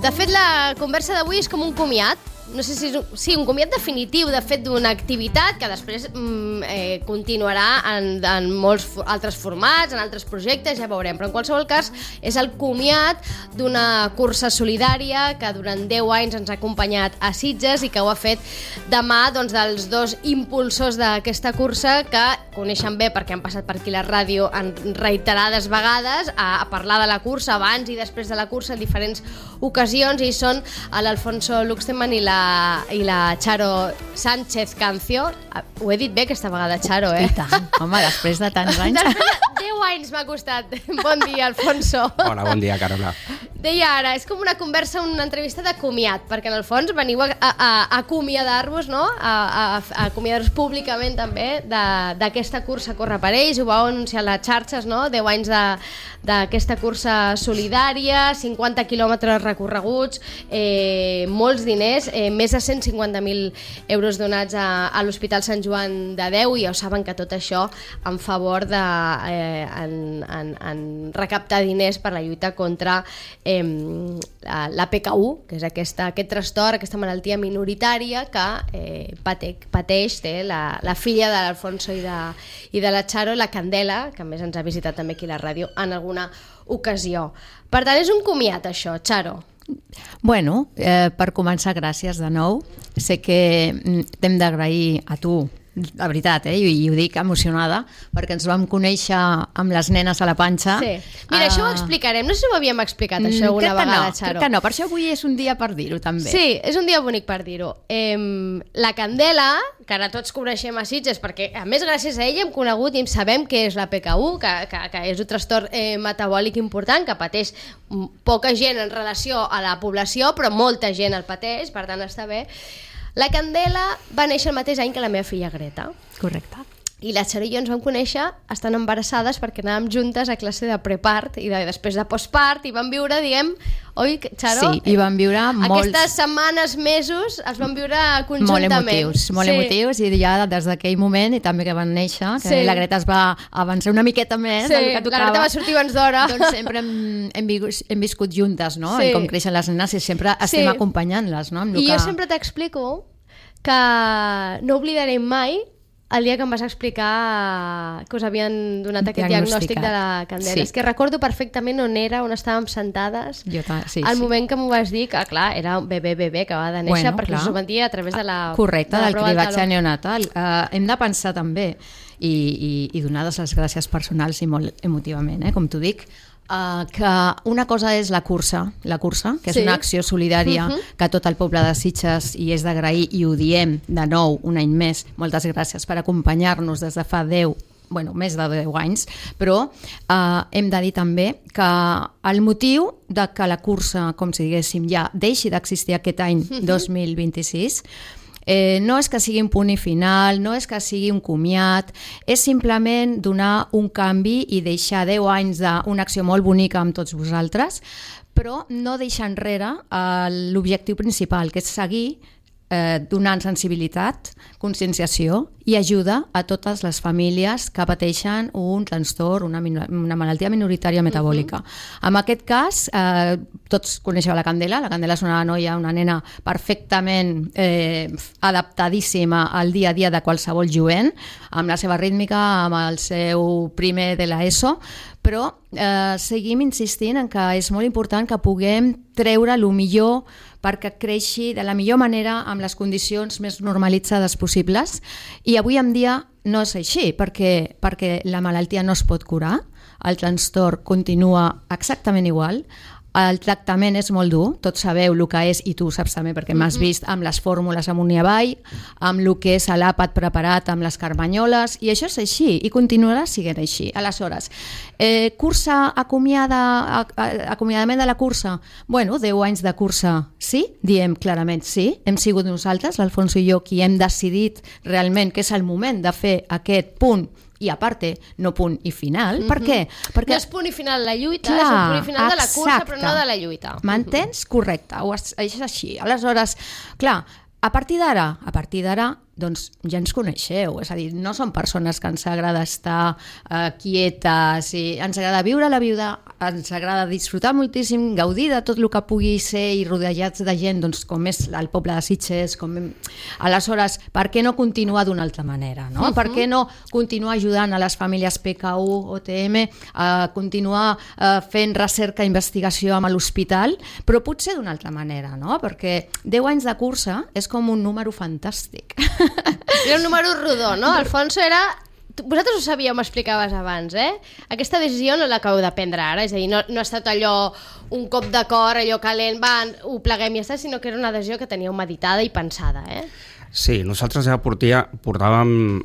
De fet, la conversa d'avui és com un comiat. No sé si és un comiat definitiu, de fet, d'una activitat que després continuarà en molts altres formats, en altres projectes, ja veurem. Però en qualsevol cas és el comiat d'una cursa solidària que durant 10 anys ens ha acompanyat a Sitges i que ho ha fet de mà dels dos impulsors d'aquesta cursa que coneixen bé perquè han passat per aquí la ràdio en reiterades vegades a parlar de la cursa abans i després de la cursa en diferents ocasions, i són l'Alfonso Luxteman i la Charo Sánchez Cancio. Ho he dit bé aquesta vegada, Charo, I tant, home, després de tants anys. Després de 10 anys m'ha costat. Bon dia, Alfonso. Hola, bon dia, Carola. Deia ara, és com una conversa, una entrevista de comiat, perquè en el fons veniu a acomiadar-vos, no? A acomiadar-vos públicament també d'aquesta cursa Corre per ells. Ho vau anunciar a les xarxes, no? 10 anys d'aquesta cursa solidària, 50 quilòmetres recorreguts, molts diners, més de 150.000 euros donats a l'Hospital Sant Joan de Déu, i ja ho saben que tot això en favor de en recaptar diners per la lluita contra la PKU, que és aquest trastorn, aquesta malaltia minoritària que pateix la filla de l'Alfonso i de la Charo, la Candela, que a més ens ha visitat també aquí a la ràdio en alguna ocasió. Per tant, és un comiat això, Charo. Bueno, per començar, gràcies de nou. Sé que t'hem d'agrair a tu, la veritat, i ho dic emocionada, perquè ens vam conèixer amb les nenes a la panxa. Sí. Mira, això ho explicarem. No sé si ho havíem explicat, això, alguna vegada, Charo. Crec que no, per això avui és un dia per dir-ho, també. Sí, és un dia bonic per dir-ho. La Candela, que ara tots coneixem a Sitges, perquè a més gràcies a ella hem conegut i sabem què és la PKU, que és un trastorn metabòlic important, que pateix poca gent en relació a la població, però molta gent el pateix, per tant està bé. La Candela va néixer el mateix any que la meva filla Greta. Correcte. I la Charo i jo ens vam conèixer estant embarassades perquè anàvem juntes a classe de prepart i després de postpart, i vam viure, oi, Charo? Sí, i vam viure aquestes setmanes, mesos, els vam viure conjuntament. Molt emotius, i ja des d'aquell moment, i també que van néixer, que la Greta es va avançar una miqueta més del que tocava. La Greta va sortir abans d'hora. Doncs sempre hem viscut juntes, no? I com creixen les nenes i sempre estem acompanyant-les, no? I jo sempre t'explico que no oblidaré mai el dia que em vas explicar que us havien donat aquest diagnòstic de la Candela. És que recordo perfectament on estàvem sentades al moment que m'ho vas dir, que clar, era un bebè que va de néixer, perquè us ho van dir a través de la... Correcte, del cribatge neonatal. Hem de pensar també, i donar les gràcies personals i molt emotivament, com t'ho dic, que una cosa és la cursa, que és una acció solidària que tot el poble de Sitges, i és d'agrair, i ho diem de nou un any més, moltes gràcies per acompanyar-nos des de fa més de 10 anys, però hem de dir també que el motiu de que la cursa, com si diguéssim, ja deixi d'existir aquest any 2026, no és que sigui un punt i final, no és que sigui un comiat, és simplement donar un canvi i deixar 10 anys d'una acció molt bonica amb tots vosaltres, però no deixar enrere l'objectiu principal, que és seguir donant sensibilitat, conscienciació i ajuda a totes les famílies que pateixen un trastorn, una malaltia minoritària metabòlica. En aquest cas, tots coneixeu la Candela. La Candela és una noia, una nena perfectament adaptadíssima al dia a dia de qualsevol jovent, amb la seva rítmica, amb el seu primer de l'ESO, però seguim insistint en que és molt important que puguem treure el millor perquè creixi de la millor manera amb les condicions més normalitzades possibles, i avui en dia no és així, perquè la malaltia no es pot curar, el trastorn continua exactament igual, el tractament és molt dur, tots sabeu el que és, i tu saps també perquè m'has vist amb les fórmules amunt-i-avall, amb el que és l'àpat preparat amb les carmanyoles, i això és així i continuarà sent així. Aleshores, cursa, acomiadament de la cursa, 10 anys de cursa, sí, diem clarament sí, hem sigut nosaltres, l'Alfonso i jo, qui hem decidit realment que és el moment de fer aquest punt, i a part, no punt i final. Per què? Perquè no és punt i final de la lluita, és un punt i final de la cursa, però no de la lluita. M'entens? Correcte, és així. Aleshores, clar, a partir d'ara doncs ja ens coneixeu, és a dir, no som persones que ens agrada estar quietes, i ens agrada viure la vida, ens agrada disfrutar moltíssim, gaudir de tot el que pugui ser i rodejats de gent, doncs com és el poble de Sitges, aleshores, per què no continuar d'una altra manera, no? Per què no continuar ajudant a les famílies PKU, OTM, a continuar fent recerca i investigació amb l'hospital, però potser d'una altra manera, no? Perquè 10 anys de cursa és com un número fantàstic. Era un número rodó, no? Alfonso era... Vosaltres ho sabíeu, m'explicaves abans, Aquesta decisió no l'acabeu de prendre ara, és a dir, no ha estat allò, un cop de cor, allò calent, ho pleguem i ja està, sinó que era una decisió que teníeu meditada i pensada, Sí, nosaltres ja portàvem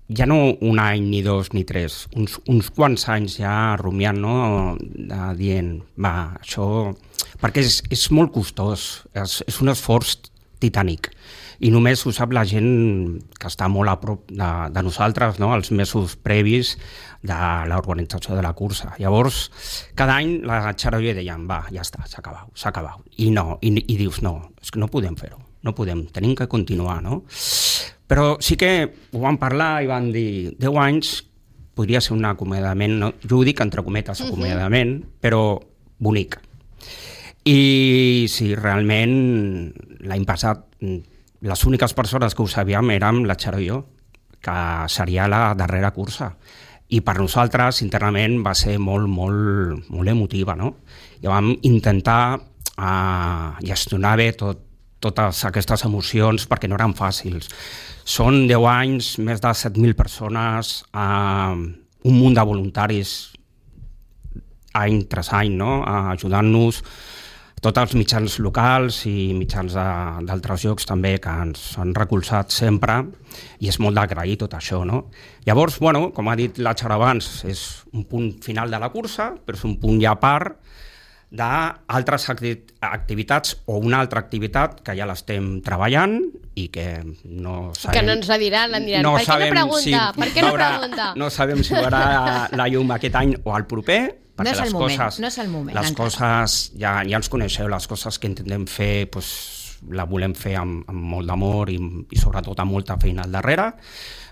ja no un any, ni dos, ni tres, uns quants anys ja rumiant, no? Dient, això... Perquè és molt costós, és un esforç titànic. I només ho sap la gent que està molt a prop de nosaltres, no? Els mesos previs de l'organització de la cursa. Llavors, cada any la Xaro i jo dèiem, ja està, s'ha acabat. I dius, no, és que no podem fer-ho, no podem, tenim que continuar, no? Però sí que ho vam parlar i van dir, 10 anys podria ser un acomiadament, no? Jo ho dic entre cometes, acomiadament, però bonic. I sí, realment, l'any passat, les úniques persones que ho sabíem érem la Xaro i jo, que seria la darrera cursa. I per nosaltres, internament, va ser molt, molt, molt emotiva, no? I vam intentar gestionar bé totes aquestes emocions perquè no eren fàcils. Són 10 anys, més de 7.000 persones, un munt de voluntaris any tras any, no? Ajudant-nos, tots els mitjans locals i mitjans d'altres llocs també que ens han recolzat sempre, i és molt d'agrair tot això, no? Llavors, com ha dit la Xaro abans, és un punt final de la cursa, però és un punt ja a part d'altres activitats o una altra activitat que ja l'estem treballant i que no sabem... Que no ens la diran, no per què no pregunta? No sabem si veurà la llum aquest any o al proper, perquè no és el moment. Les coses, ja ens coneixeu, les coses que intentem fer, la volem fer amb molt d'amor i sobretot amb molta feina al darrere.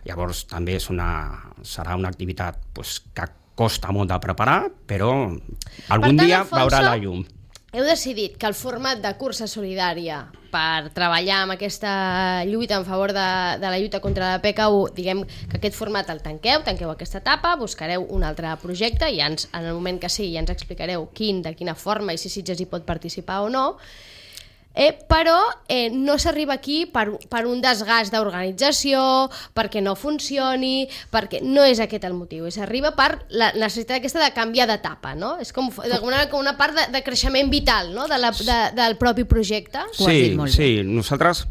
Llavors també serà una activitat que costa molt de preparar, però algun dia veurà la llum. Heu decidit que el format de cursa solidària per treballar amb aquesta lluita en favor de la lluita contra la PKU, diguem que aquest format el tanqueu aquesta etapa, buscareu un altre projecte i en el moment que sí ja ens explicareu de quina forma i si Sitges hi pot participar o no, però no s'arriba aquí per un desgast d'organització, perquè no funcioni, perquè no és aquest el motiu, s'arriba per la necessitat aquesta de canviar d'etapa, no? És com una part de creixement vital, no? Del propi projecte. Sí, nosaltres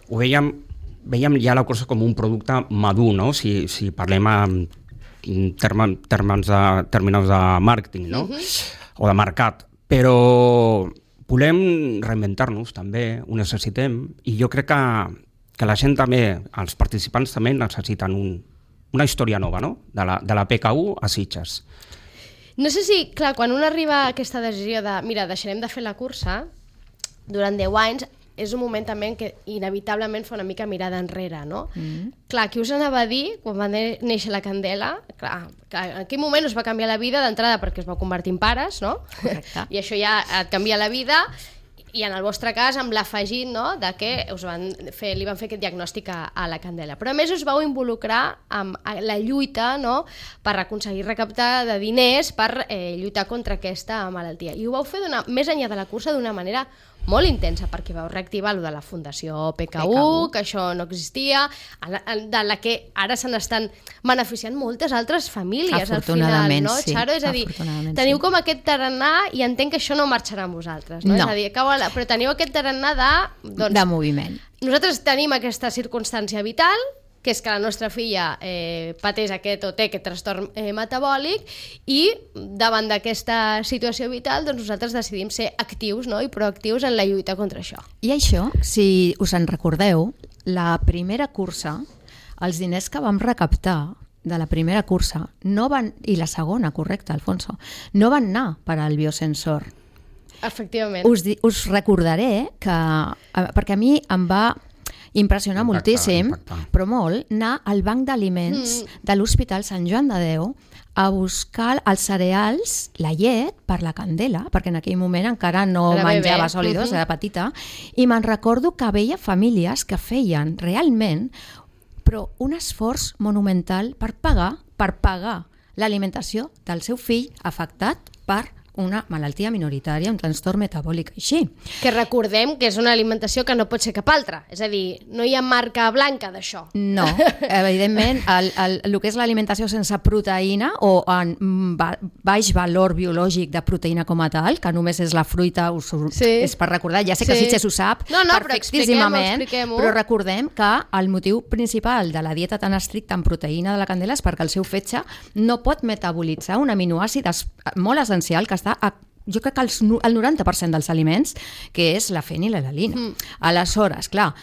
ho veiem ja la cursa com un producte madur, no? Si parlem en termes de màrqueting, no? O de mercat, però volem reinventar-nos també, ho necessitem, i jo crec que la gent també, els participants també necessiten una història nova, no? De la PKU a Sitges. No sé si, clar, quan un arriba a aquesta decisió de, mira, deixarem de fer la cursa durant 10 anys, és un moment també en què inevitablement fa una mica mirada enrere, no? Clar, qui us anava a dir, quan va néixer la Candela, clar, en aquell moment us va canviar la vida d'entrada perquè es va convertir en pares, no? Correcte. I això ja et canvia la vida, i en el vostre cas amb l'afegit, no?, de que li van fer aquest diagnòstic a la Candela. Però a més us vau involucrar amb la lluita, no?, per aconseguir recaptar de diners per lluitar contra aquesta malaltia. I ho vau fer més enllà de la cursa d'una manera molt intensa, perquè vau reactivar lo de la Fundació PKU, que això no existia, de la que ara se n'estan beneficiant moltes altres famílies al final, no, Xaro? És a dir, teniu com aquest tarannà, i entenc que això no marxarà amb vosaltres, no? És a dir, però teniu aquest tarannà de moviment. Nosaltres tenim aquesta circumstància vital, que és que la nostra filla pateix té aquest trastorn metabòlic, i davant d'aquesta situació vital doncs nosaltres decidim ser actius, no?, i proactius en la lluita contra això. I això, si us en recordeu, la primera cursa, els diners que vam recaptar de la primera cursa i la segona, correcte, Alfonso, no van anar per al biosensor. Efectivament. Us recordaré que, perquè a mi em va impressiona moltíssim, impactar. però molt, anar al banc d'aliments de l'Hospital Sant Joan de Déu a buscar els cereals, la llet, per la Candela, perquè en aquell moment encara no Era menjava bebè. sòlidos, era petita, i me'n recordo que veia famílies que feien realment però un esforç monumental per pagar l'alimentació del seu fill afectat per una malaltia minoritària, un trastorn metabòlic així. Que recordem que és una alimentació que no pot ser cap altra. És a dir, no hi ha marca blanca d'això. No, evidentment, el que és l'alimentació sense proteïna o en baix valor biològic de proteïna com a tal, que només és la fruita, és per recordar, ja sé que Sitges ho sap perfectíssimament, però recordem que el motiu principal de la dieta tan estricta en proteïna de la Candela és perquè el seu fetge no pot metabolitzar un aminoàcid molt essencial que està jo crec que el 90% dels aliments, que és la fenilalanina. Aleshores, clar,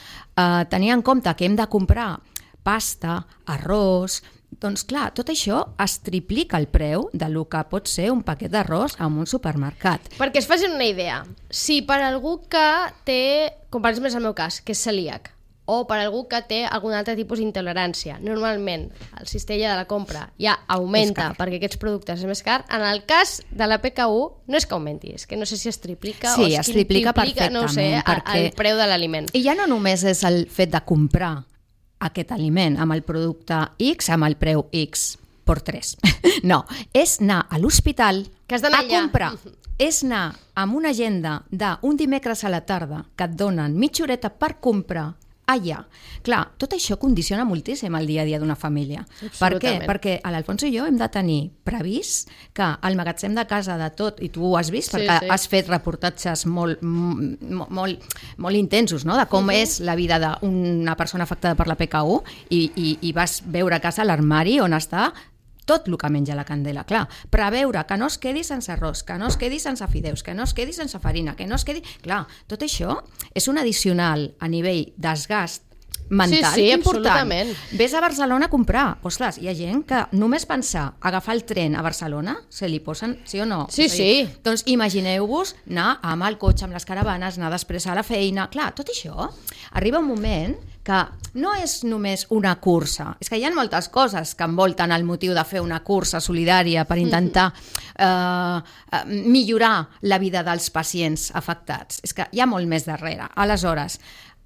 tenir en compte que hem de comprar pasta, arròs, doncs clar, tot això es triplica el preu del que pot ser un paquet d'arròs en un supermercat. Perquè es facin una idea, si per algú que té, com per exemple és el meu cas, que és celíac, o per algú que té algun altre tipus d'intolerància. Normalment, el cistella de la compra ja augmenta perquè aquests productes és més car. En el cas de la PKU, no és que augmenti, és que no sé si es triplica o es triplica perfectament, no ho sé, el preu de l'aliment. I ja no només és el fet de comprar aquest aliment amb el producte X, amb el preu X per 3. No, és anar a l'hospital a comprar. És anar amb una agenda d'un dimecres a la tarda que et donen mitja horeta per comprar allà. Clar, tot això condiciona moltíssim el dia a dia d'una família. Per què? Perquè l'Alfonso i jo hem de tenir previst que el magatzem de casa de tot, i tu ho has vist perquè has fet reportatges molt intensos, no?, de com és la vida d'una persona afectada per la PKU i vas veure a casa l'armari on està tot el que menja la Candela, clar, preveure que no es quedi sense arròs, que no es quedi sense fideus, que no es quedi sense farina, que no es quedi... Clar, tot això és un addicional a nivell desgast mental important. Absolutament. Ves a Barcelona a comprar. Ostres, hi ha gent que només pensar agafar el tren a Barcelona se li posen, sí o no? Sí. Doncs imagineu-vos anar amb el cotxe, amb les caravanes, anar després a la feina. Clar, tot això arriba un moment que no és només una cursa, és que hi ha moltes coses que envolten el motiu de fer una cursa solidària per intentar millorar la vida dels pacients afectats. És que hi ha molt més darrere. Aleshores,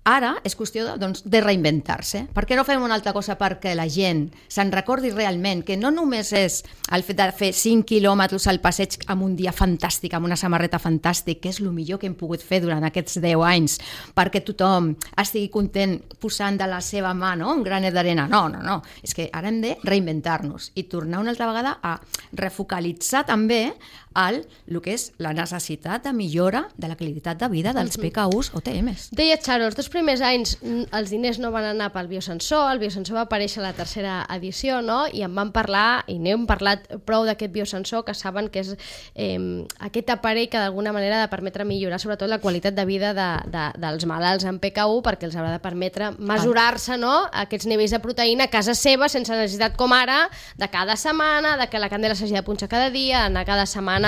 ara és qüestió de reinventar-se. Per què no fem una altra cosa perquè la gent se'n recordi realment que no només és el fet de fer 5 quilòmetres al passeig amb un dia fantàstic, amb una samarreta fantàstic, que és el millor que hem pogut fer durant aquests 10 anys, perquè tothom estigui content posant de la seva mà, no?, un granet d'arena. No. És que ara hem de reinventar-nos i tornar una altra vegada a refocalitzar també el que és la necessitat de millora de la qualitat de vida dels PKUs o TMs. Deia Charo, els 2 primers anys els diners no van anar pel biosensor, el biosensor va aparèixer a la tercera edició, no?, i en vam parlar, i n'hem parlat prou d'aquest biosensor, que saben que és aquest aparell que d'alguna manera ha de permetre millorar sobretot la qualitat de vida dels malalts en PKU, perquè els haurà de permetre mesurar-se, no?, aquests nivells de proteïna a casa seva sense necessitat com ara de cada setmana, de que la Candela s'hagi de punxar cada dia, anar cada setmana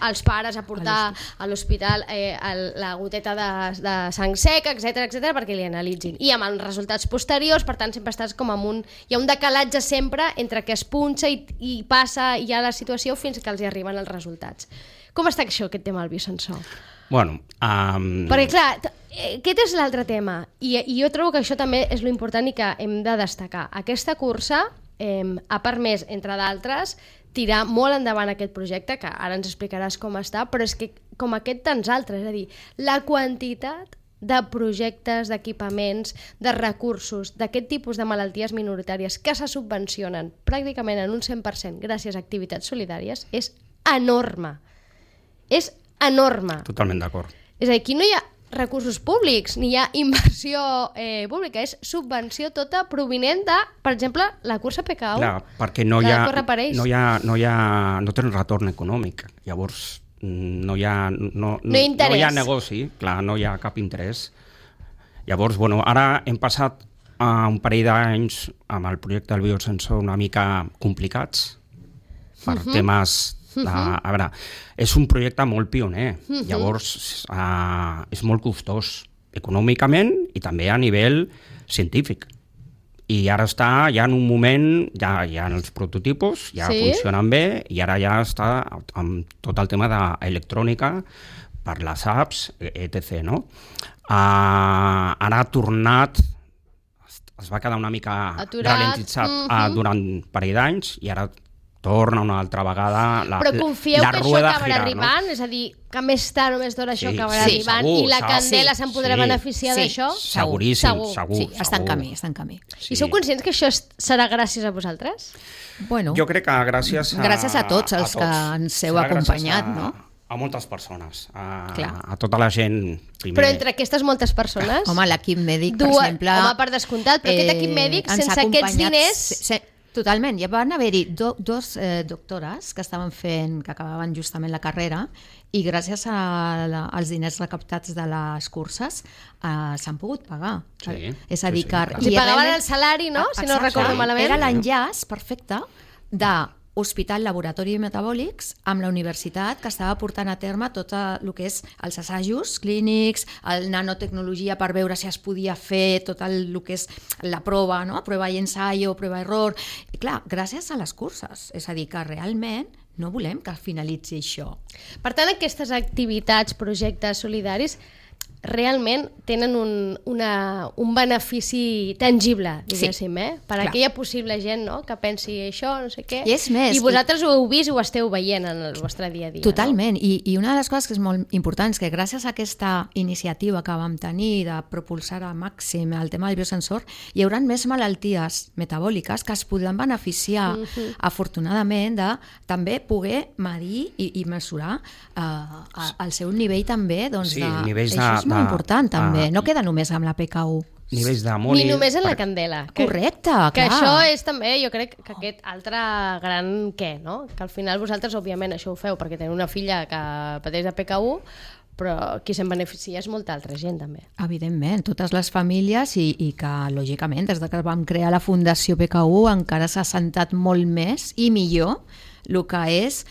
els pares a portar a l'hospital la goteta de sang seca, etc perquè li analitzin. I amb els resultats posteriors, per tant, sempre estàs com amb hi ha un decalatge sempre entre que es punxa i passa ja la situació fins que els hi arriben els resultats. Com està això, aquest tema del biosensor? Bueno, perquè clar, aquest és l'altre tema i jo trobo que això també és lo important i que hem de destacar. Aquesta cursa ha permès, entre d'altres, tirar molt endavant aquest projecte, que ara ens explicaràs com està, però és que com aquest tants altres, és a dir, la quantitat de projectes, d'equipaments, de recursos, d'aquest tipus de malalties minoritàries que se subvencionen pràcticament en un 100% gràcies a activitats solidàries és enorme. És enorme. Totalment d'acord. És a dir, aquí no hi ha recursos públics, ni hi ha inversió pública, és subvenció tota provinent de, per exemple, la cursa PKU. Clar, perquè no tenen retorn econòmic, llavors no hi ha negoci, clar, no hi ha cap interès. Llavors, bueno, ara hem passat un parell d'anys amb el projecte del biosensor una mica complicats per temes a veure, és un projecte molt pioner, llavors és molt costós econòmicament i també a nivell científic. I ara està ja en un moment, ja en els prototipos, ja funcionen bé, i ara ja està amb tot el tema d'electrònica per les apps, etc. No? Ara ha tornat, es va quedar una mica ralentitzat durant un parell d'anys, i ara torna una altra vegada la rueda Però confieu que això acabarà arribant? No? És a dir, que més tard o més d'hora això acabarà arribant segur, i la Candela se'n podrà beneficiar d'això? Segur. Sí, està en camí. Sí. I sou conscients que això serà gràcies a vosaltres? Bueno, jo crec que gràcies a tots els que ens heu acompanyat, no? A moltes persones, a tota la gent primer. Però entre aquestes moltes persones... Home, l'equip mèdic, per exemple... Home, per descomptat, però aquest equip mèdic, sense aquests diners... Totalment, ja van haver-hi dos doctores que estaven fent, que acabaven justament la carrera, i gràcies als diners recaptats de les curses s'han pogut pagar. Sí, és a dir, que... I pagaven el salari, no? Si no recordo malament. Era l'enllaç perfecte de Hospital Laboratori Metabòlics amb la universitat que estava portant a terme tot el que és els assajos clínics, el nanotecnologia per veure si es podia fer tot el que és la prova, no? Prova i ensaio, prova i error. I clar, gràcies a les curses. És a dir, que realment no volem que finalitzi això. Per tant, aquestes activitats, projectes solidaris, realment tenen un benefici tangible, diguéssim, per aquella possible gent, no?, que pensi això, no sé què. I és més. I vosaltres ho heu vist i ho esteu veient en el vostre dia a dia. Totalment. No? I una de les coses que és molt important és que gràcies a aquesta iniciativa que vam tenir de propulsar al màxim el tema del biosensor, hi haurà més malalties metabòliques que es podran beneficiar, afortunadament, de també poder medir i mesurar el seu nivell també, doncs, nivells això és molt important també, no queda només amb la PKU. Nivells d'amoni... Ni només en la Candela. Correcte, que clar. això és també, jo crec, que aquest altre gran què, no? Que al final vosaltres, òbviament, això ho feu perquè teniu una filla que pateix de PKU, però qui se'n beneficia és molta altra gent, també. Evidentment, totes les famílies i que, lògicament, des que vam crear la Fundació PKU encara s'ha assentat molt més i millor el que és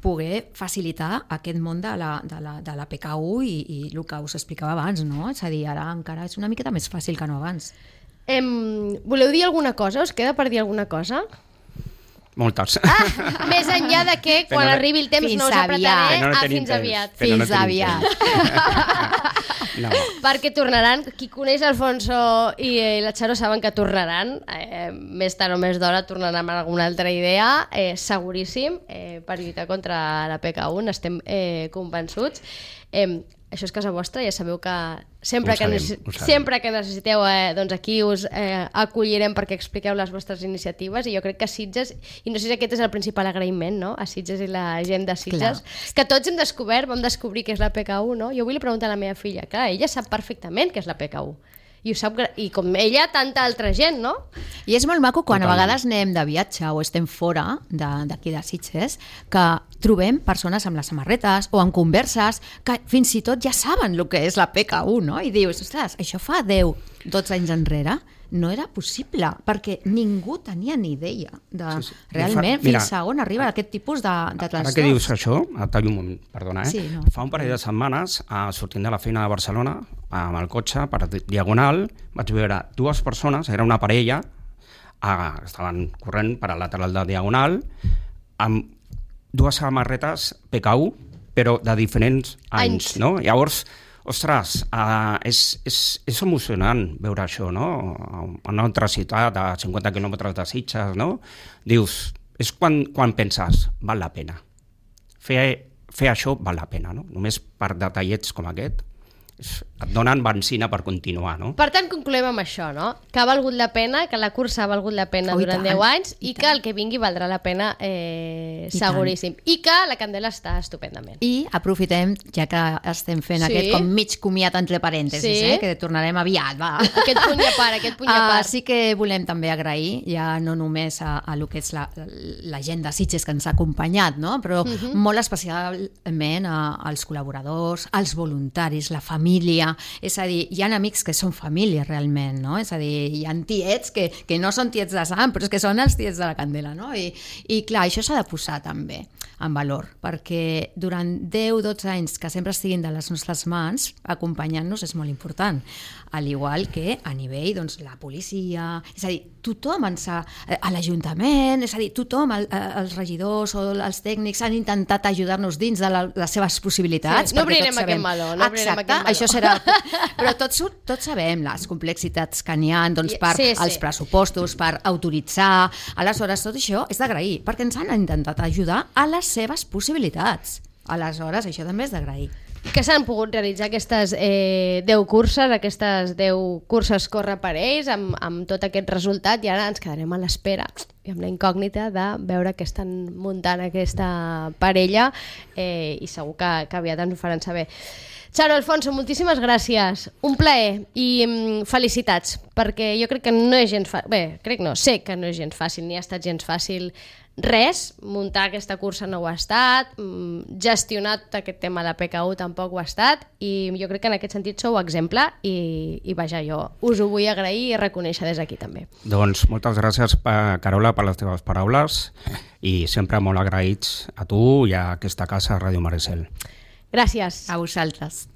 poder facilitar aquest món de la PKU i el que us explicava abans, no? És a dir, ara encara és una miqueta més fàcil que no abans. Voleu dir alguna cosa? Us queda per dir alguna cosa? Moltes. Més enllà de que quan arribi el temps no us apretaré fins aviat. Fins aviat. No. Perquè tornaran, qui coneix Alfonso i la Charo saben que tornaran, més tard o més d'hora tornaran amb alguna altra idea, seguríssim, per lluitar contra la PKU, n'estem convençuts. Això és casa vostra, ja sabeu que sempre que necessiteu, doncs aquí us acollirem perquè expliqueu les vostres iniciatives, i jo crec que Sitges, i no sé si aquest és el principal agraïment, no?, a Sitges i la gent de Sitges, que tots hem descobert, vam descobrir què és la PKU, no? Jo avui li pregunto a la meva filla, clar, ella sap perfectament què és la PKU. I ho sap, i com ella, tanta altra gent, no? I és molt maco quan a vegades anem de viatge o estem fora d'aquí de Sitges, que trobem persones amb les samarretes o amb converses que fins i tot ja saben el que és la PKU, no? I dius, ostres, això fa 10-12 anys enrere no era possible, perquè ningú tenia ni idea de realment fins a on arriba aquest tipus de trastorns. Ara que dius això, et tallo un moment, perdona, Sí, no. Fa un parell de setmanes, sortint de la feina de Barcelona, amb el cotxe, per Diagonal, vaig veure dues persones, era una parella, estaven corrent per al lateral de Diagonal, amb dues samarretes PKU, però de diferents anys. No? Llavors, ostres, és emocionant veure això, no? En una altra ciutat a 50 quilòmetres de Sitges, no? Dius, és quan penses, val la pena. Fer això val la pena, no? Només per detallets com aquest et donen benzina per continuar, no? Per tant, concloem amb això, no? Que ha valgut la pena, que la cursa ha valgut la pena durant 10 anys i que el que vingui valdrà la pena seguríssim. I que la Candela està estupendament. I aprofitem, ja que estem fent aquest com mig comiat entre parèntesis, que tornarem aviat, va. Aquest punt i a part, aquest punt i a part. Sí que volem també agrair, ja no només a el que és la gent de Sitges que ens ha acompanyat, no? Però molt especialment als col·laboradors, als voluntaris, la família, família, és a dir, hi ha amics que són família realment, no? És a dir, hi ha tiets que no són tiets de sang, però és que són els tiets de la candela, no? I clar, això s'ha de posar també en valor, perquè durant 10-12 anys que sempre estiguin de les nostres mans, acompanyant-nos és molt important, al igual que a nivell, doncs, la policia, és a dir, tothom a l'Ajuntament, és a dir, tothom, els regidors o els tècnics han intentat ajudar-nos dins de les seves possibilitats. Sí, no obrirem aquest meló. Exacte, això serà... Però tots sabem les complexitats que n'hi ha, doncs, per els pressupostos, per autoritzar. Aleshores, tot això és d'agrair, perquè ens han intentat ajudar a les seves possibilitats. Aleshores, això també és d'agrair. Que s'han pogut realitzar aquestes 10 curses, aquestes 10 curses corre per ells, amb tot aquest resultat, i ara ens quedarem a l'espera i amb la incògnita de veure què estan muntant aquesta parella, i segur que aviat ens ho faran saber. Charo, Alfonso, moltíssimes gràcies. Un plaer i felicitats, perquè jo crec que no és gens fàcil. Bé, crec no, sé que no és gens fàcil, ni ha estat gens fàcil res, muntar aquesta cursa no ho ha estat, gestionar tot aquest tema de PKU tampoc ho ha estat, i jo crec que en aquest sentit sou exemple i vaja, jo us ho vull agrair i reconèixer des d'aquí també. Doncs moltes gràcies, Carola, per les teves paraules i sempre molt agraïts a tu i a aquesta casa Ràdio Maricel. Gràcies. A vosaltres.